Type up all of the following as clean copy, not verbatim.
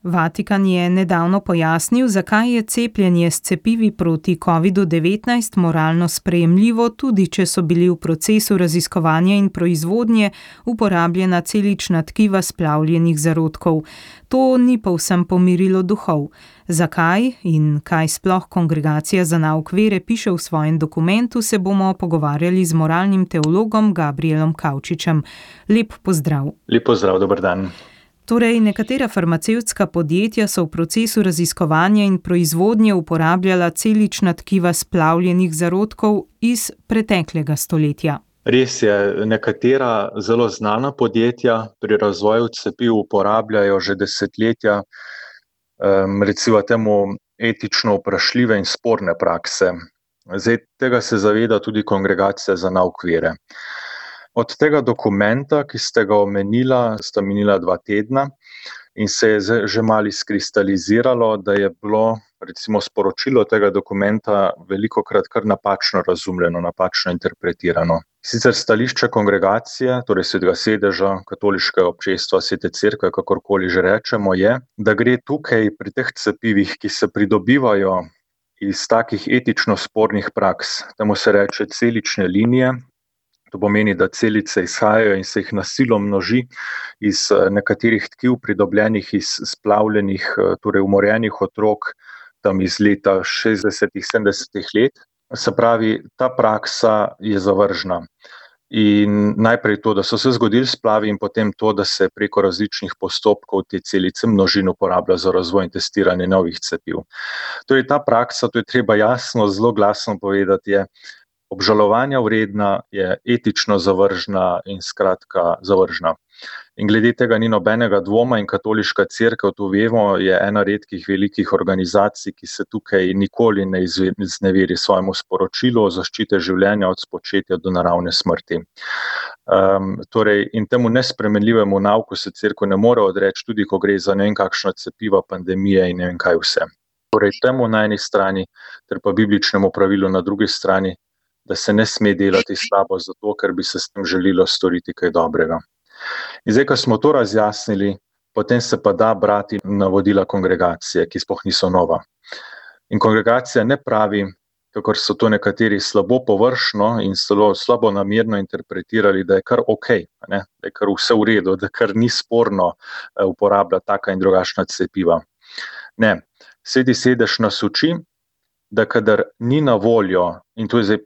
Vatikan je nedavno pojasnil, zakaj je cepljenje s cepivi proti COVID-19 moralno sprejemljivo, tudi če so bili v procesu raziskovanja in proizvodnje uporabljena celična tkiva splavljenih zarodkov. To ni povsem pomirilo duhov. Zakaj in kaj sploh Kongregacija za nauk vere piše v svojem dokumentu, se bomo pogovarjali z moralnim teologom Gabrijelom Kavčičem. Lep pozdrav. Lep pozdrav, dober dan. Torej, nekatera farmacevtska podjetja so v procesu raziskovanja in proizvodnje uporabljala celična tkiva splavljenih zarodkov iz preteklega stoletja. Res je, nekatera zelo znana podjetja pri razvoju cepiv uporabljajo že desetletja recimo temu etično vprašljive in sporne prakse. Zdaj, tega se zaveda tudi Kongregacija za nauk vere. Od tega dokumenta, ki ste ga omenila, sta minila 2 tedna in se je že malo izkristaliziralo, da je bilo recimo sporočilo tega dokumenta velikokrat kar napačno razumljeno, napačno interpretirano. Sicer stališče kongregacije, torej Svetega sedeža, katoliškega občestva, Svete cerkve, kakorkoli že rečemo, je, da gre tukaj pri teh cepivih, ki se pridobivajo iz takih etično spornih praks, temu se reče celične linije. To pomeni, da celice izhajajo in se jih na silo množi iz nekaterih tkiv pridobljenih iz splavljenih, torej umorjenih otrok, tam iz leta 60-ih, 70-ih let. Se pravi, ta praksa je zavržna. In najprej to, da so se zgodili splavi in potem to, da se preko različnih postopkov te celice množin uporablja za razvoj in testiranje novih cepiv. Torej ta praksa, to je treba jasno, zelo glasno povedati, je obžalovanja vredna, je etično zavržna in skratka zavržna. In glede tega ni nobenega dvoma in katoliška cerkev, to vemo, je ena redkih velikih organizacij, ki se tukaj nikoli ne izneveri svojemu sporočilu o zaščite življenja od spočetja do naravne smrti. In temu nespremenljivemu nauku se cerkev ne more odreči, tudi ko gre za ne vem kakšna cepiva, pandemije in ne vem kaj vse. Torej temu na eni strani, ter pa bibličnemu pravilu na drugi strani, da se ne sme delati slabo zato, ker bi se s tem želelo storiti kaj dobrega. In zdaj, ko smo to razjasnili, potem se pa da brati navodila kongregacije, ki sploh niso nova. In kongregacija ne pravi, kakor so to nekateri slabo površno in slabo namerno interpretirali, da je kar okej, da je kar vse v redu, da kar ni sporno uporabljati taka in drugačna cepiva. Ne, Sveti sedež nas uči, da kadar ni na voljo, in to je zdaj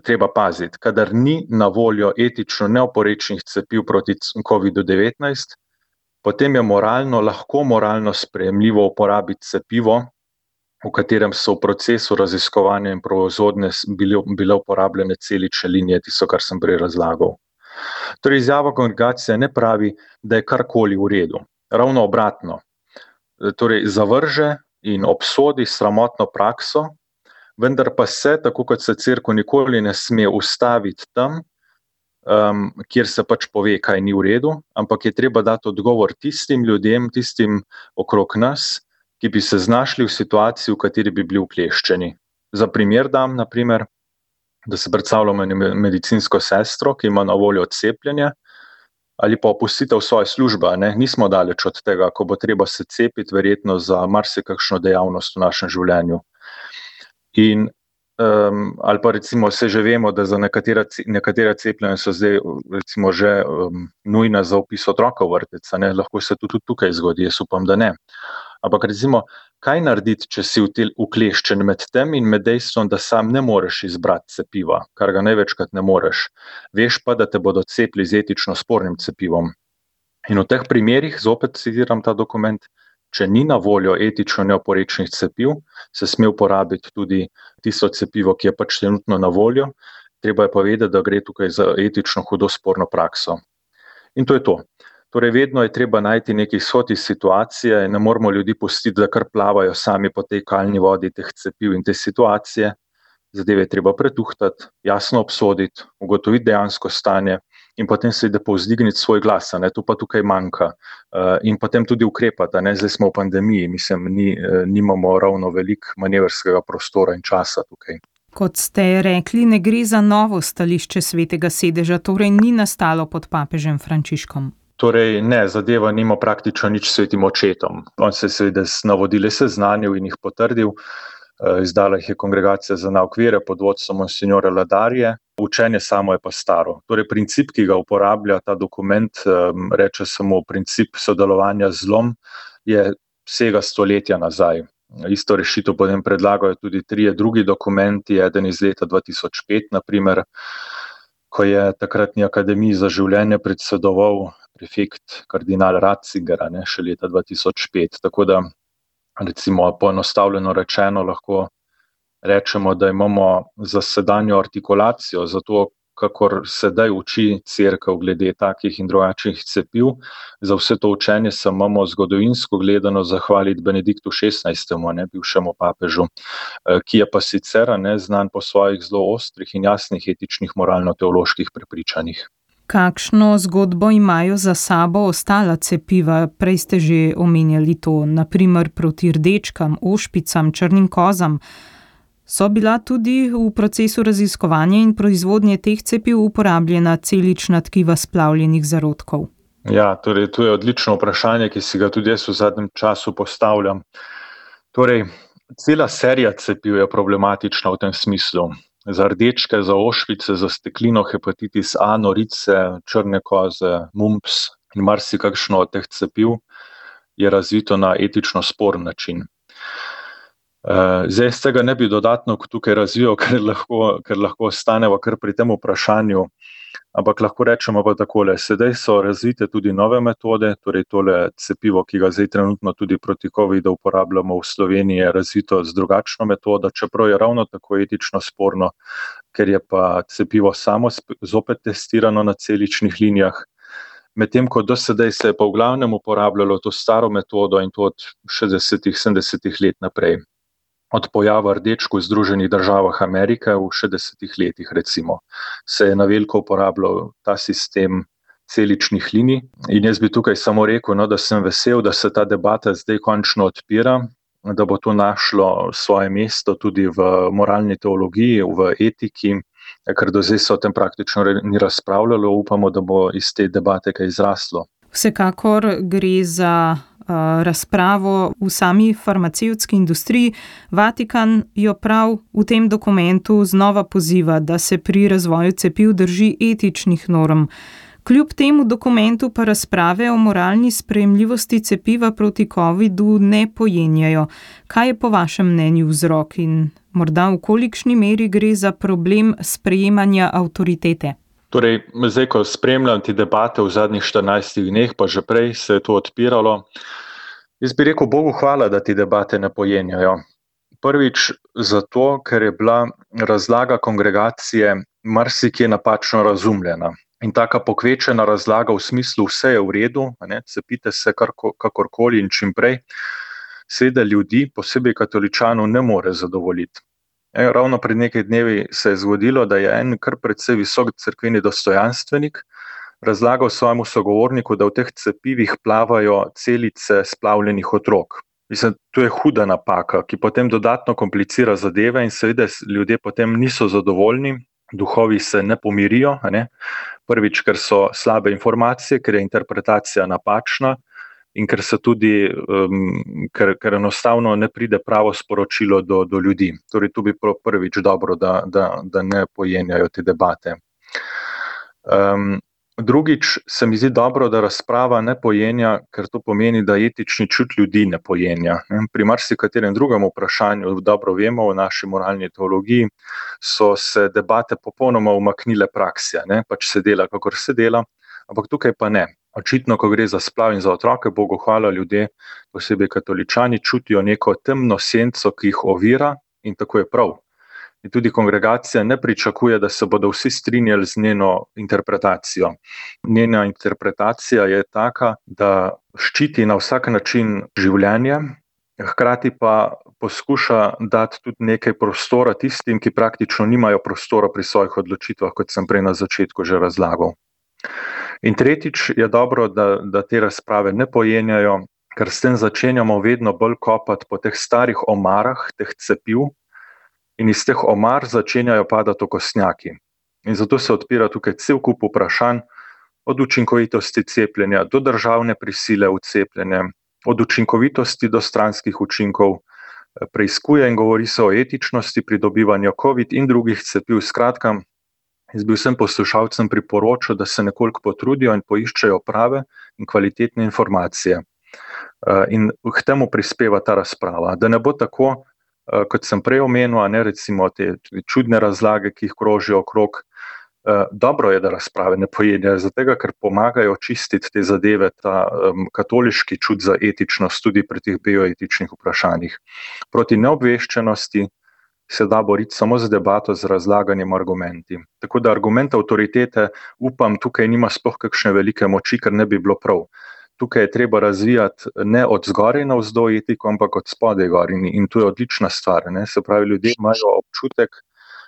treba paziti, kadar ni na voljo etično neoporečnih cepiv proti COVID-19, potem je lahko moralno sprejemljivo uporabiti cepivo, v katerem so v procesu raziskovanja in proizvodnje bile uporabljene celične linije, tisto, kar sem prej razlagal. Torej, izjava kongregacije ne pravi, da je karkoli v redu. Ravno obratno. Torej, zavrže in obsodi sramotno prakso, vendar pa se, tako kot se cerkev nikoli ne sme ustaviti tam, kjer se pač pove, kaj ni v redu, ampak je treba dati odgovor tistim ljudem, tistim okrog nas, ki bi se znašli v situaciji, v kateri bi bili ukleščeni. Za primer dam, naprimer, da se predstavljamo medicinsko sestro, ki ima na voljo cepljenje, ali pa opustitev svoje službe, nismo daleč od tega, ko bo treba se cepiti verjetno za marsikakšno dejavnost v našem življenju. In, ali pa recimo se že vemo, da za nekatera cepljenja so zdaj recimo že nujna za vpis otroka v vrtec, lahko se tudi tukaj zgodi, jaz upam, da ne. Ampak recimo, kaj narediti, če si ukleščen med tem in med dejstvom, da sam ne moreš izbrati cepiva, kar ga največkrat ne moreš. Veš pa, da te bodo cepili z etično spornim cepivom. In v teh primerih, zopet citiram ta dokument, če ni na voljo etično neoporečnih cepiv, se sme uporabiti tudi tisto cepivo, ki je pač trenutno na voljo. Treba je pa vedeti, da gre tukaj za etično hudo sporno prakso. In to je to. Torej, vedno je treba najti neki izhod iz situacije, ne moramo ljudi pustiti, da kar plavajo sami po tej kalni vodi teh cepiv in te situacije. Zadeve je treba pretuhtati, jasno obsoditi, ugotoviti dejansko stanje in potem seveda povzdigniti svoj glas, to pa tukaj manjka. In potem tudi ukrepati, zdaj smo v pandemiji, nimamo ravno veliko manevrskega prostora in časa tukaj. Kot ste rekli, ne gre za novo stališče Svetega sedeža, torej ni nastalo pod papežem Frančiškom. Torej, ne, zadeva nima praktično nič s svetim očetom. On se je seveda z navodili seznanil in jih potrdil. Izdala jih je Kongregacija za nauk vere pod vodstvom monsignora Ladarje. Učenje samo je pa staro. Torej, princip, ki ga uporablja ta dokument, reče samo princip sodelovanja z zlom, je vsega stoletja nazaj. Isto rešitev potem predlagajo tudi 3 drugi dokumenti, eden iz leta 2005, naprimer, ko je takratni Akademiji za življenje predsedoval prefekt kardinal Ratzinger, še leta 2005. Tako da, recimo, poenostavljeno rečeno, lahko rečemo, da imamo za sedanjo artikulacijo, zato kakor sedaj uči cerkev glede takih in drugačnih cepiv, za vse to učenje se imamo zgodovinsko gledano zahvaliti Benediktu XVI, bivšemu papežu, ki je pa sicer znan po svojih zelo ostrih in jasnih etičnih moralno-teoloških prepričanjih. Kakšno zgodbo imajo za sabo ostala cepiva? Prej ste že omenjali to, naprimer proti rdečkam, ošpicam, črnim kozam. So bila tudi v procesu raziskovanja in proizvodnje teh cepiv uporabljena celična tkiva splavljenih zarodkov? Ja, torej to je odlično vprašanje, ki si ga tudi jaz v zadnjem času postavljam. Torej, cela serija cepiv je problematična v tem smislu. Za rdečke, za ošpice, za steklino, hepatitis A, norice, črne koze, mumps in marsikakšno od teh cepiv je razvito na etično sporen način. Zdaj z tega ne bi dodatno tukaj razvijal, ker lahko ostaneva kar pri tem vprašanju, ampak lahko rečemo pa takole, sedaj so razvite tudi nove metode, torej tole cepivo, ki ga zdaj trenutno tudi proti covidu uporabljamo v Sloveniji, je razvito z drugačno metodo, čeprav je ravno tako etično sporno, ker je pa cepivo samo zopet testirano na celičnih linijah, medtem ko do sedaj se je pa v glavnem uporabljalo to staro metodo in to od 60-ih, 70-ih let naprej. Od pojava rdečk v Združenih državah Amerike v 60-ih letih, recimo, se je na veliko uporabljal ta sistem celičnih linij. In jaz bi tukaj samo rekel, da sem vesel, da se ta debata zdaj končno odpira, da bo to našlo svoje mesto tudi v moralni teologiji, v etiki, ker do zdaj se o tem praktično ni razpravljalo, upamo, da bo iz te debate kaj izraslo. Vsekakor gre za razpravo v sami farmacevtski industriji. Vatikan jo prav v tem dokumentu znova poziva, da se pri razvoju cepiv drži etičnih norm. Kljub temu dokumentu pa razprave o moralni sprejemljivosti cepiva proti covidu ne pojenjajo. Kaj je po vašem mnenju vzrok in morda v kolikšni meri gre za problem sprejemanja avtoritete? Torej, zdaj, ko spremljam te debate v zadnjih 14 dneh, pa že prej se je to odpiralo, jaz bi rekel Bogu hvala, da te debate ne pojenjajo. Prvič zato, ker je bila razlaga kongregacije marsikje napačno razumljena. In taka pokvečena razlaga v smislu vse je v redu, cepite se kakorkoli in čim prej, seveda ljudi, posebej katoličanov, ne more zadovoljiti. Ravno pred nekaj dnevi se je zgodilo, da je en kar precej visok cerkveni dostojanstvenik razlagal svojemu sogovorniku, da v teh cepivih plavajo celice splavljenih otrok. Mislim, to je huda napaka, ki potem dodatno komplicira zadeve in seveda ljudje potem niso zadovoljni, duhovi se ne pomirijo, Prvič, ker so slabe informacije, ker je interpretacija napačna, in ker se tudi, ker enostavno ne pride pravo sporočilo do ljudi. Torej, tu bi prvič dobro, da ne pojenjajo te debate. Drugič, se mi zdi dobro, da razprava ne pojenja, ker to pomeni, da etični čut ljudi ne pojenja. Pri marsikaterem drugem vprašanju, dobro vemo, v naši moralni teologiji, so se debate popolnoma umaknile praksi, pač se dela, kakor se dela, ampak tukaj pa ne. Očitno, ko gre za splav in za otroke, Bogu hvala, ljudje, posebej katoličani, čutijo neko temno senco, ki jih ovira, in tako je prav. In tudi kongregacija ne pričakuje, da se bodo vsi strinjali z njeno interpretacijo. Njena interpretacija je taka, da ščiti na vsak način življenje, hkrati pa poskuša dati tudi nekaj prostora tistim, ki praktično nimajo prostora pri svojih odločitvah, kot sem prej na začetku že razlagal. In tretjič je dobro, da te razprave ne pojenjajo, ker s tem začenjamo vedno bolj kopati po teh starih omarah, teh cepiv, in iz teh omar začenjajo padati okostnjaki. In zato se odpira tukaj cel kup vprašanj, od učinkovitosti cepljenja do državne prisile v cepljenje, od učinkovitosti do stranskih učinkov, preiskuje in govori se o etičnosti pridobivanja COVID in drugih cepiv. Skratka, jaz bi vsem poslušalcem priporočil, da se nekoliko potrudijo in poiščejo prave in kvalitetne informacije. In k temu prispeva ta razprava, da ne bo tako, kot sem prej omenil, recimo te čudne razlage, ki jih krožijo okrog. Dobro je, da razprave ne pojedejo, zato ker pomagajo čistiti te zadeve, ta katoliški čut za etičnost tudi pri teh bioetičnih vprašanjih. Proti neobveščenosti se da boriti samo z debato, z razlaganjem argumenti. Tako da argument avtoritete, upam, tukaj nima sploh kakšne velike moči, ker ne bi bilo prav. Tukaj je treba razvijati ne od zgoraj navzdol etiko, ampak od spodaj gor in to je odlična stvar. Se pravi, ljudje imajo občutek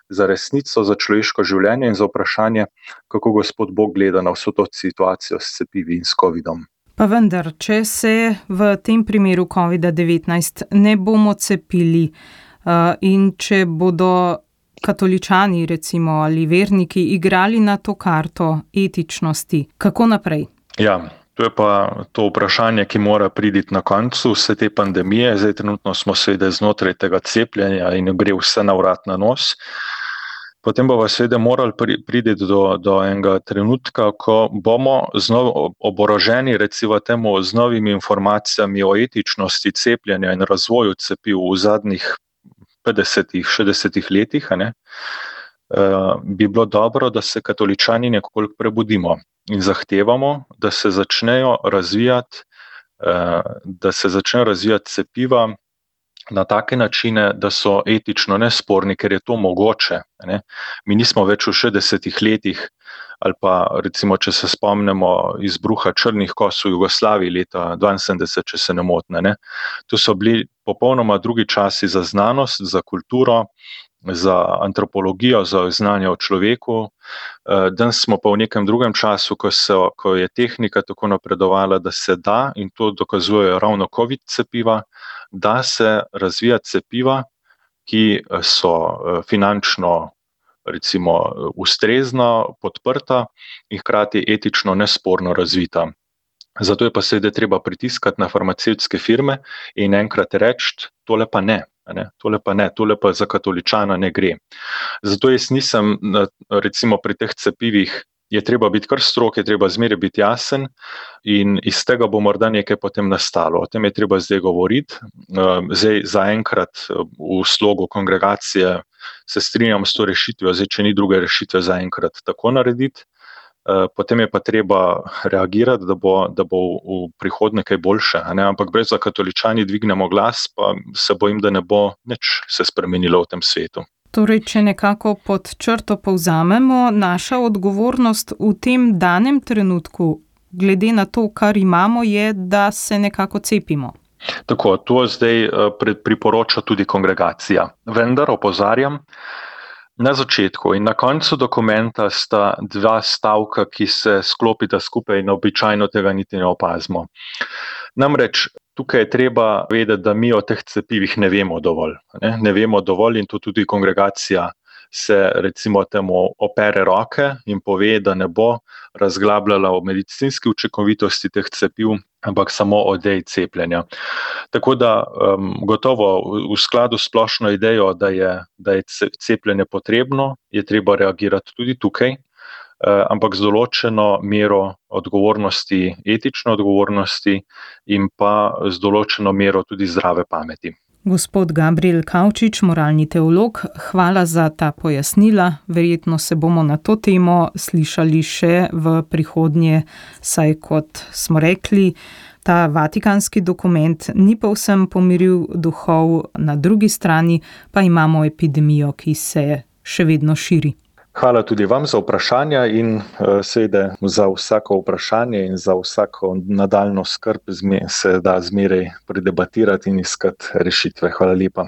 za resnico, za človeško življenje in za vprašanje, kako Gospod Bog gleda na vso to situacijo s cepivi in s COVID-om. Pa vendar, če se v tem primeru COVID-19 ne bomo cepili in če bodo katoličani recimo ali verniki igrali na to karto etičnosti, kako naprej? Ja, to je pa to vprašanje, ki mora priti na koncu vse te pandemije. Zdaj trenutno smo seveda znotraj tega cepljenja in gre vse na vrat na nos. Potem bomo seveda morali priti do enega trenutka, ko bomo oboroženi recimo temu z novimi informacijami o etičnosti cepljenja in razvoju cepiv v zadnjih 50-60 letih, bi bilo dobro, da se katoličani nekoliko prebudimo in zahtevamo, da se začnejo razvijati cepiva na take načine, da so etično nesporni, ker je to mogoče. Mi nismo več v 60 letih, ali pa recimo, če se spomnimo izbruha črnih kos v Jugoslaviji leta 1972, če se ne motim. To so bili popolnoma drugi časi za znanost, za kulturo, za antropologijo, za znanje o človeku. Danes smo pa v nekem drugem času, ko je tehnika tako napredovala, da se da, in to dokazujejo ravno COVID cepiva, da se razvija cepiva, ki so finančno recimo ustrezno podprta in hkrati etično nesporno razvita. Zato je pa seveda treba pritiskati na farmacevtske firme in enkrat reči, tole pa ne. Tole pa za katoličana ne gre. Zato jaz nisem, recimo pri teh cepivih, je treba biti kar strog, je treba zmeraj biti jasen in iz tega bo morda nekaj potem nastalo. O tem je treba zdaj govoriti. Zdaj zaenkrat v slogu kongregacije se strinjam s to rešitvijo, zdaj če ni druge rešitve zaenkrat tako narediti. Potem je pa treba reagirati, da bo v prihodnje kaj boljše. Ampak brez da katoličani dvignemo glas, pa se bojim, da ne bo nič se spremenilo v tem svetu. Torej, če nekako pod črto povzamemo, naša odgovornost v tem danem trenutku, glede na to, kar imamo, je, da se nekako cepimo. Tako, to zdaj priporoča tudi kongregacija. Vendar opozarjam, na začetku in na koncu dokumenta sta dva stavka, ki se sklopita skupaj in običajno tega niti ne opazimo. Namreč, tukaj je treba vedeti, da mi o teh cepivih ne vemo dovolj. Ne vemo dovolj in to tudi kongregacija se recimo temu opere roke in pove, da ne bo razglabljala o medicinski učinkovitosti teh cepiv, ampak samo o ideji cepljenja. Tako da gotovo v skladu s splošno idejo, da je cepljenje potrebno, je treba reagirati tudi tukaj, ampak z določeno mero odgovornosti, etične odgovornosti in pa z določeno mero tudi zdrave pameti. Gospod Gabriel Kavčič, moralni teolog, hvala za ta pojasnila. Verjetno se bomo na to temo slišali še v prihodnje, saj kot smo rekli, ta vatikanski dokument ni povsem pomiril duhov, na drugi strani pa imamo epidemijo, ki se še vedno širi. Hvala tudi vam za vprašanja in seveda za vsako vprašanje in za vsako nadaljno skrb se da zmeraj predebatirati in iskati rešitve. Hvala lepa.